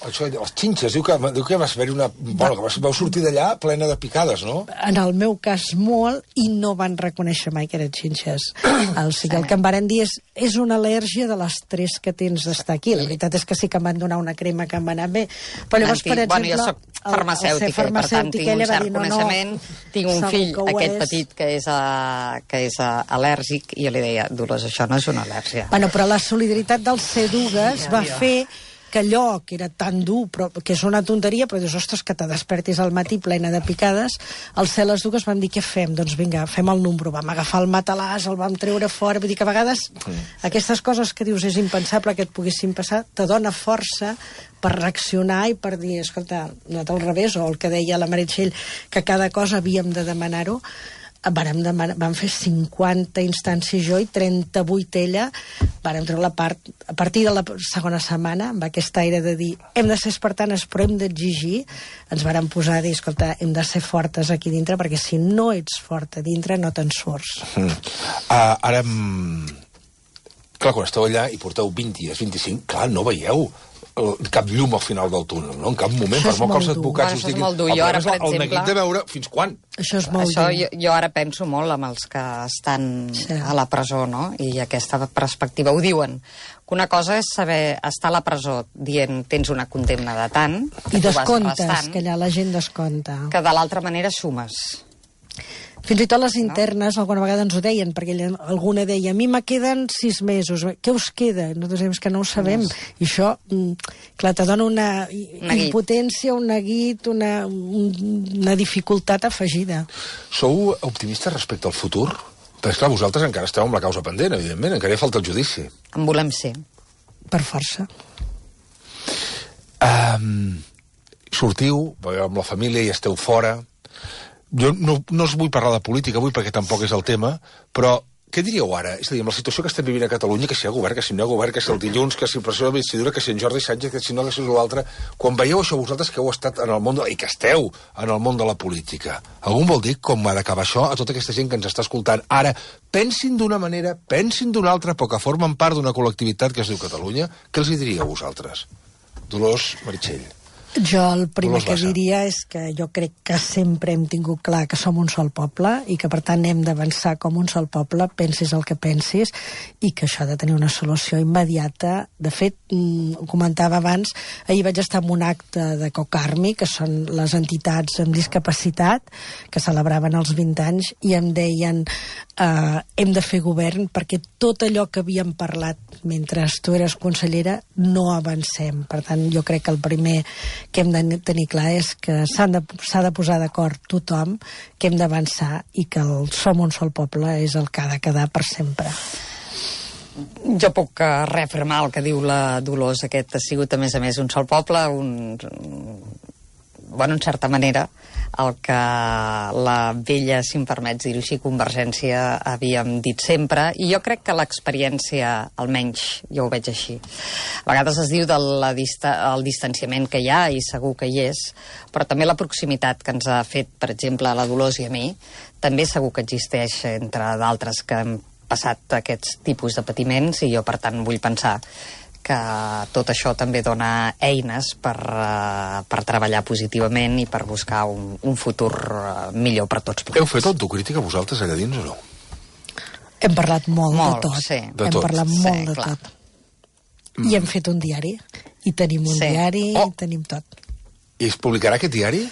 xinxes, diu que vas haver-hi una... Bueno, que vau sortir d'allà plena de picades, no? En el meu cas molt, i no van reconèixer mai que eren xinxes. El que em varen dir és una al·lèrgia de l'estrès que tens d'estar aquí. La veritat és que sí que em van donar una crema que em va anar bé. Però llavors, per exemple... Bueno, jo soc farmacèutica, per tant tinc un cert coneixement, tinc un fill, aquest petit, que és al·lèrgic, i jo li deia: Dolors, això no és una al·lèrgia. Bueno, però la solidaritat del C2 va fer que allò que era tan dur, però que és una tonteria, però dius: ostres, que te despertis al matí plena de picades. Al ser les dues vam dir: què fem? Doncs vinga, fem el número. Vam agafar el matalàs, el vam treure fora. Vull dir que a vegades aquestes coses que dius és impensable que et poguessin passar, te dona força per reaccionar i per dir: escolta, no al revés, o el que deia la Meritxell, que cada cosa havíem de demanar-ho. vam fer 50 instàncies jo i 38 ella. Vàrem treure a partir de la segona setmana, amb aquest aire de dir hem de ser espartanes però hem d'exigir, ens vàrem posar a dir, escolta, hem de ser fortes aquí dintre, perquè si no ets fort a dintre no te'n surts. Ara, clar, quan esteu allà i porteu 20 dies, 25, clar, no veieu cap llum al final del túnel, no? En cap moment, per molt que els advocats us diguin... Això és molt dur. Jo ara, per exemple... El neguit de veure fins quan. Això és molt dur. Jo ara penso molt amb els que estan a la presó, no? I aquesta perspectiva. Ho diuen, que una cosa és saber estar a la presó dient tens una condemna de tant... I descomptes, que allà la gent descompta. Que de l'altra manera sumes. Fins i tot les internes alguna vegada ens ho deien, perquè alguna deia a mi me queden 6 mesos, què us queda? Nosaltres diem que no ho sabem, i això, clar, te dona una impotència, un neguit, una dificultat afegida. Sou optimistes respecte al futur? Perquè, clar, vosaltres encara esteu amb la causa pendent, evidentment, encara hi falta el judici. En volem ser. Per força. Sortiu, amb la família i esteu fora... Jo no us vull parlar de política avui perquè tampoc és el tema, però què diríeu ara? És a dir, amb la situació que estem vivint a Catalunya, que si hi ha govern, que si no hi ha govern, que si el dilluns, que si el president de l'investidura, que si en Jordi Sánchez, que si no, que si l'altre... Quan veieu això vosaltres que heu estat en el món i que esteu en el món de la política, algú vol dir com ha d'acabar això a tota aquesta gent que ens està escoltant? Ara, pensin d'una manera, pensin d'una altra, però que formen part d'una col·lectivitat que es diu Catalunya, què els hi diríeu vosaltres? Dolors Meritxell. Jo el primer que diria és que jo crec que sempre hem tingut clar que som un sol poble i que per tant hem d'avançar com un sol poble, pensis el que pensis, i que això ha de tenir una solució immediata. De fet, ho comentava abans, ahir vaig estar en un acte de COCARMI, que són les entitats amb discapacitat, que celebraven els 20 anys, i em deien hem de fer govern perquè tot allò que havíem parlat mentre tu eres consellera no avancem. Per tant, jo crec que el primer que hem de tenir clar és que s'ha de posar d'acord tothom, que hem d'avançar i que el som un sol poble és el que ha de quedar per sempre. Jo puc reafirmar el que diu la Dolors. Aquest ha sigut, a més, un sol poble, en certa manera, el que la vella, si em permets dir-ho així, Convergència havíem dit sempre, i jo crec que l'experiència, almenys jo ho veig així. A vegades es diu del distanciament que hi ha, i segur que hi és, però també la proximitat que ens ha fet, per exemple, a la Dolors i a mi, també segur que existeix entre d'altres que hem passat aquests tipus de patiments, i jo, per tant, vull pensar que tot això també dona eines per treballar positivament i per buscar un futur millor per tots plegats. Heu fet autocrítica vosaltres allà dins o no? Hem parlat molt de tot. Sí. Hem parlat molt de tot. I hem fet un diari. I tenim un diari, i tenim tot. I es publicarà aquest diari?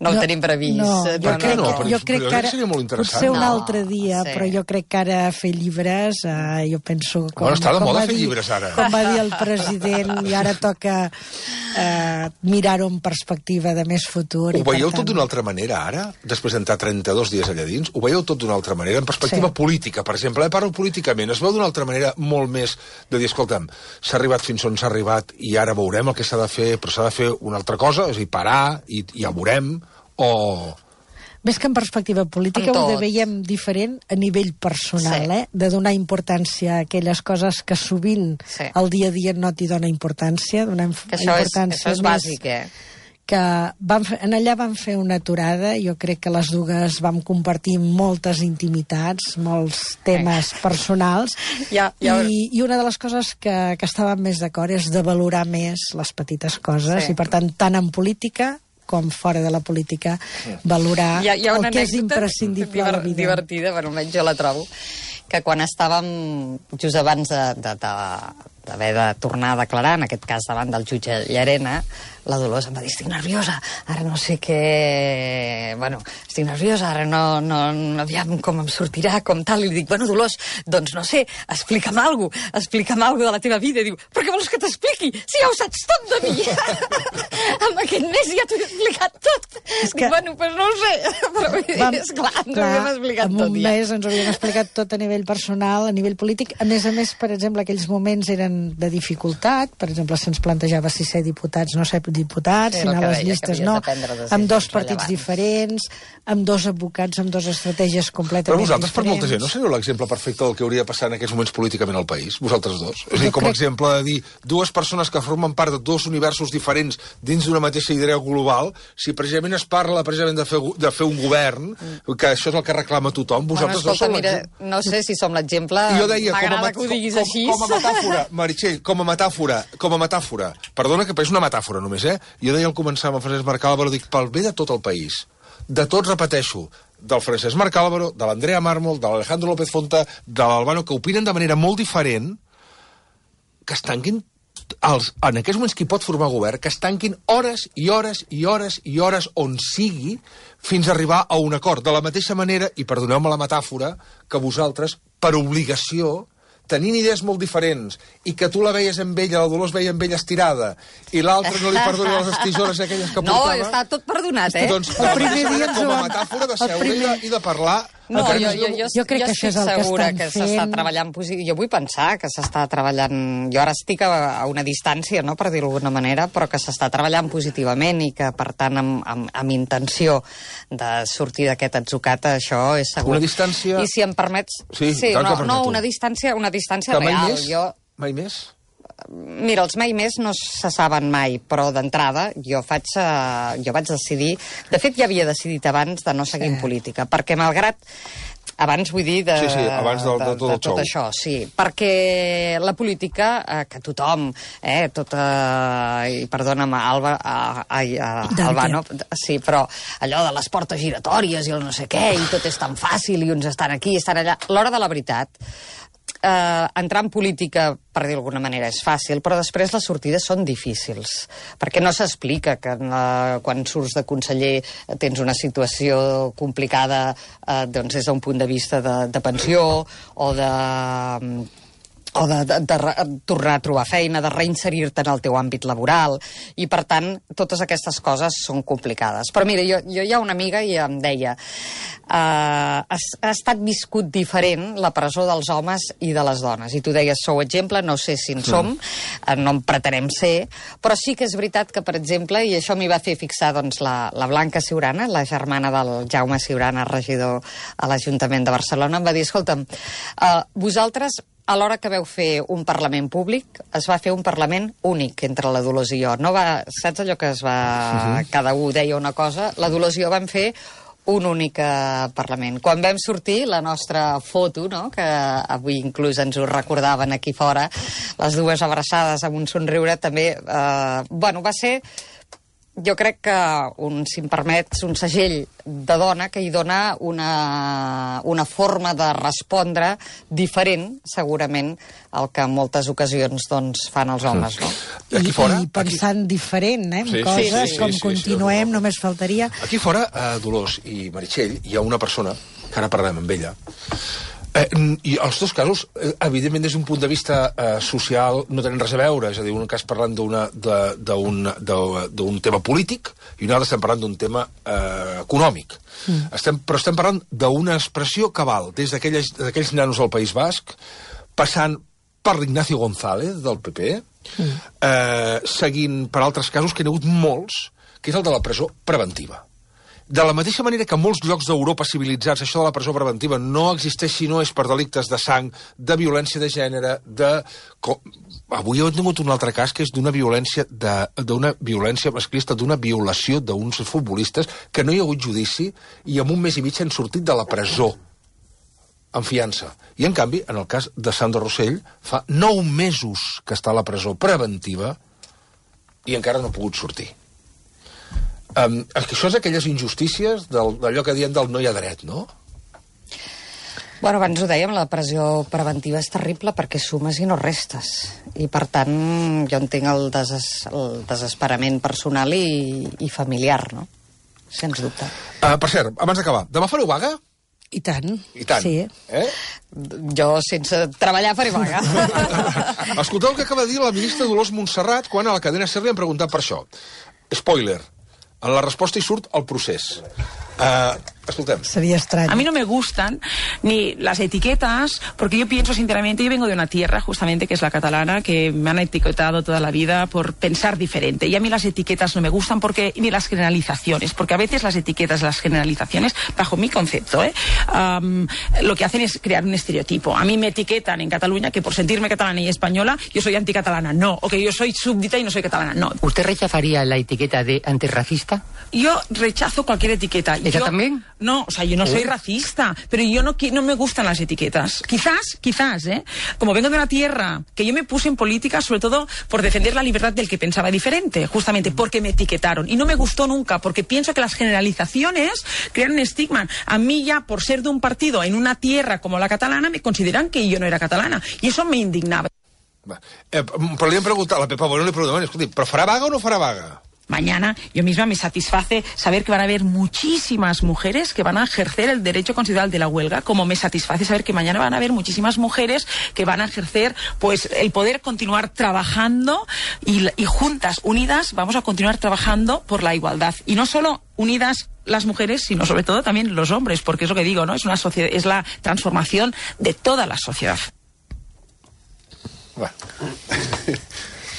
No ho tenim previst. Jo crec que ara, seria molt interessant. potser un altre dia, però jo crec que ara fer llibres, jo penso... Bueno, està de moda fer llibres, ara. Com va dir el president, i ara toca mirar-ho en perspectiva de més futur. Ho veieu tot d'una altra manera, ara? Després d'entrar 32 dies allà dins? Ho veieu tot d'una altra manera? En perspectiva política, per exemple. Parlo políticament. Es veu d'una altra manera molt més de dir, escolta'm, s'ha arribat fins on s'ha arribat i ara veurem el que s'ha de fer, però s'ha de fer una altra cosa, és a dir, parar i ja veurem, o... Més que en perspectiva política ho veiem diferent a nivell personal, de donar importància a aquelles coses que sovint el dia a dia no t'hi dona importància. Això és bàsic, que allà vam fer una aturada, jo crec que les dues vam compartir moltes intimitats, molts temes personals, i una de les coses que estàvem més d'acord és de valorar més les petites coses, i per tant, tant en política com fora de la política, valorar el que és imprescindible a la vida. Divertida, bueno, almenys jo la trobo, que quan estàvem just abans d'haver de tornar a declarar, en aquest cas davant del jutge Llarena, la Dolors em va dir, estic nerviosa, ara no sé què... Bueno, estic nerviosa, ara no aviam com em sortirà, com tal, i li dic, bueno, Dolors, doncs no sé, explica'm alguna cosa de la teva vida. I diu, però què vols que t'expliqui? Si ja ho saps tot de mi! Amb aquest mes ja t'ho he explicat tot! Dic, bueno, doncs no ho sé, però és clar, ens ho havíem explicat tot ja. En un mes ens ho havíem explicat tot a nivell personal, a nivell polític. A més, per exemple, aquells moments eren de dificultat, per exemple, se'ns plantejava si ser diputats, no ser diputats, si anar a les llistes no, amb dos partits diferents, amb dos advocats, amb dues estratègies completament diferents. Però vosaltres, per molta gent, no seríeu l'exemple perfecte del que hauria de passar en aquests moments políticament al país? Vosaltres dos? És a dir, com a exemple de dir dues persones que formen part de dos universos diferents dins d'una mateixa idea global, si precisament es parla precisament de fer un govern, que això és el que reclama tothom, vosaltres dos sou l'exemple. No sé si som l'exemple, m'agrada que ho diguis així. Com a metàfora, Meritxell, com a metàfora, perdona que és una metàfora només, jo deia al començar amb el Francesc Marc Álvaro, dic, pel bé de tot el país, de tots, repeteixo, del Francesc Marc Álvaro, de l'Andrea Mármol, de l'Alejandro López Fonta, de l'Albano, que opinen de manera molt diferent, que es tanquin en aquests moments qui pot formar govern, que es tanquin hores i hores i hores i hores on sigui fins a arribar a un acord. De la mateixa manera, i perdoneu-me la metàfora, que vosaltres, per obligació, tenint idees molt diferents, i que tu la veies amb ella, la Dolors veia amb ella estirada, i l'altre no li perdoni les tisores aquelles que portava... No, està tot perdonat, Doncs, el primer dia com a metàfora de seure i de parlar... No, jo crec que això és el que segura que s'està treballant... Jo vull pensar que s'està treballant... Jo ara estic a una distància, no, per dir-ho d'alguna manera, però que s'està treballant positivament i que, per tant, amb intenció de sortir d'aquest atzucat, això és segur. Una distància... I si em permets... Sí, no, una distància real. Mai més? Mira, els mai més no se saben mai, però d'entrada jo vaig decidir... De fet, ja havia decidit abans de no seguir en política, perquè malgrat... Abans, vull dir, abans de tot això, sí. Perquè la política, que tothom, i perdona'm, Albano, sí, però allò de les portes giratòries i el no sé què, i tot és tan fàcil, i uns estan aquí, estan allà... L'hora de la veritat, entrar en política, per dir d'alguna manera, és fàcil, però després les sortides són difícils, perquè no s'explica que quan surts de conseller tens una situació complicada doncs des d'un punt de vista de pensió o de tornar a trobar feina, de reinserir-te en el teu àmbit laboral, i per tant totes aquestes coses són complicades. Però mira, jo hi ha una amiga i em deia ha estat viscut diferent la presó dels homes i de les dones, i tu deies sou exemple, no sé si en som, no en pretenem ser, però sí que és veritat que, per exemple, i això m'hi va fer fixar doncs, la Blanca Ciurana, la germana del Jaume Ciurana, regidor a l'Ajuntament de Barcelona, em va dir, escolta'm, vosaltres a l'hora que veu fer un Parlament públic, es va fer un Parlament únic entre la Dolors i jo. No va, saps allò que es va... Cada un deia una cosa, la Dolors i jo vam fer un únic Parlament. Quan vam sortir, la nostra foto, no?, que avui inclús ens ho recordaven aquí fora, les dues abraçades amb un somriure, també, va ser... Jo crec que, si em permets, un segell de dona que hi dona una forma de respondre diferent, segurament, al que en moltes ocasions doncs, fan els homes, no? Aquí fora, I pensant diferent, en coses, com continuem, només faltaria... Aquí fora, Dolors i Meritxell, hi ha una persona, que ara parlem amb ella, i els dos casos, evidentment, des d'un punt de vista social, no tenen res a veure. És a dir, un cas parlant d'un tema polític i un altre estem parlant d'un tema econòmic. Però estem parlant d'una expressió cabal, des d'aquells nanos del País Basc, passant per l'Ignacio González, del PP, seguint per altres casos, que n'hi ha hagut molts, que és el de la presó preventiva. De la mateixa manera que en molts llocs d'Europa civilitzats això de la presó preventiva no existeix si no és per delictes de sang, de violència de gènere, Avui he tingut un altre cas que és d'una violència masclista, d'una violació d'uns futbolistes que no hi ha hagut judici i en un mes i mig han sortit de la presó en fiança. I en canvi, en el cas de Sandro Rosell, fa 9 mesos que està a la presó preventiva i encara no ha pogut sortir. Això és aquelles injustícies d'allò que diem del no hi ha dret, no? Bueno, abans ho dèiem, la pressió preventiva és terrible perquè sumes i no restes. I, per tant, jo entenc el desesperament personal i familiar, no? Sens dubte. Per cert, abans d'acabar, demà fareu vaga? I tant. I tant. Sí. Jo, sense treballar, faré vaga. Escolteu el que acaba de dir la ministra Dolors Montserrat quan a la cadena SER li han preguntat per això. Spoiler. En la resposta hi surt el procés. Escoltem. Sería extraño. A mí no me gustan ni las etiquetas, porque yo pienso sinceramente, yo vengo de una tierra justamente que es la catalana, que me han etiquetado toda la vida por pensar diferente. Y a mí las etiquetas no me gustan ni las generalizaciones, porque a veces las etiquetas, las generalizaciones, bajo mi concepto, lo que hacen es crear un estereotipo. A mí me etiquetan en Cataluña que por sentirme catalana y española, yo soy anticatalana. No, o que yo soy súbdita y no soy catalana. No. ¿Usted rechazaría la etiqueta de antirracista? Yo rechazo cualquier etiqueta. ¿Ella también? No, o sea, yo no soy racista, pero yo no me gustan las etiquetas. Quizás, como vengo de una tierra que yo me puse en política sobre todo por defender la libertad del que pensaba diferente, justamente porque me etiquetaron. Y no me gustó nunca, porque pienso que las generalizaciones crean un estigma. A mí ya, por ser de un partido en una tierra como la catalana, me consideran que yo no era catalana. Y eso me indignaba. Però li hem preguntat, a la Pepa Bueno li preguntem, escolti, però farà vaga o no farà vaga? Mañana yo misma me satisface saber que van a haber muchísimas mujeres que van a ejercer el derecho constitucional de la huelga, como me satisface saber que mañana van a haber muchísimas mujeres que van a ejercer pues el poder continuar trabajando y juntas, unidas, vamos a continuar trabajando por la igualdad. Y no solo unidas las mujeres, sino sobre todo también los hombres, porque es lo que digo, ¿no? Es una sociedad, es la transformación de toda la sociedad. Bueno.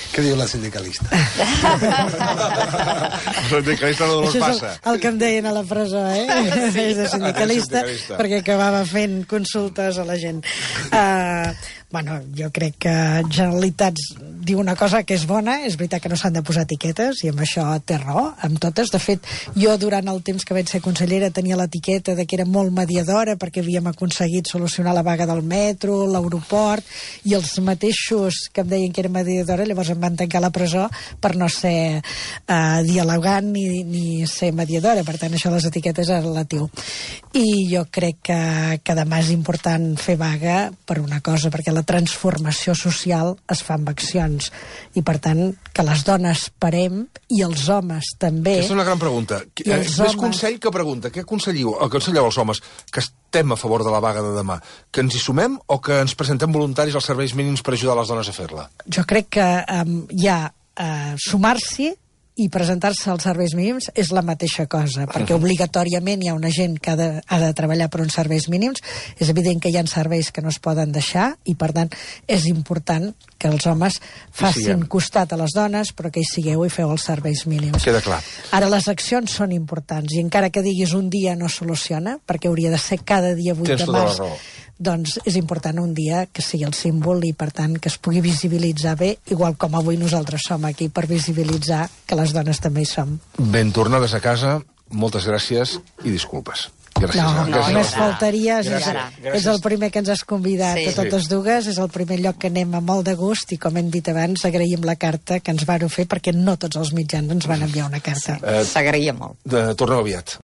Què diu la sindicalista? La sindicalista no els passa. Això és el que em deien a la presó, Sí. És de sindicalista, perquè acabava fent consultes a la gent. Bueno, jo crec que Generalitats diu una cosa que és bona, és veritat que no s'han de posar etiquetes, i amb això té raó, amb totes. De fet, jo durant el temps que vaig ser consellera tenia l'etiqueta de que era molt mediadora perquè havíem aconseguit solucionar la vaga del metro, l'aeroport, i els mateixos que em deien que era mediadora llavors em van tancar a la presó per no ser dialogant ni ser mediadora. Per tant, això de les etiquetes és relatiu. I jo crec que demà és important fer vaga per una cosa, perquè la transformació social es fa amb accions, i per tant que les dones parem i els homes també. Aquesta és una gran pregunta. Més consell que pregunta. Què aconselleu als homes que estem a favor de la vaga de demà? Que ens hi sumem o que ens presentem voluntaris als serveis mínims per ajudar les dones a fer-la? Jo crec que sumar-s'hi i presentar-se als serveis mínims és la mateixa cosa, perquè obligatòriament hi ha una gent que ha de treballar per uns serveis mínims. És evident que hi ha serveis que no es poden deixar i, per tant, és important que els homes facin costat a les dones, però que hi sigueu i feu els serveis mínims. Queda clar. Ara, les accions són importants, i encara que diguis un dia no soluciona, perquè hauria de ser cada dia 8 de març, doncs és important un dia que sigui el símbol i, per tant, que es pugui visibilitzar bé, igual com avui nosaltres som aquí per visibilitzar que les dones també hi som. Ben tornades a casa, moltes gràcies i disculpes. Gràcies. No, només faltaria. És el primer que ens has convidat a totes dues, és el primer lloc que anem a molt de gust, i com hem dit abans, agraïm la carta que ens vau fer, perquè no tots els mitjans ens van enviar una carta. S'agraïa molt. Torneu aviat.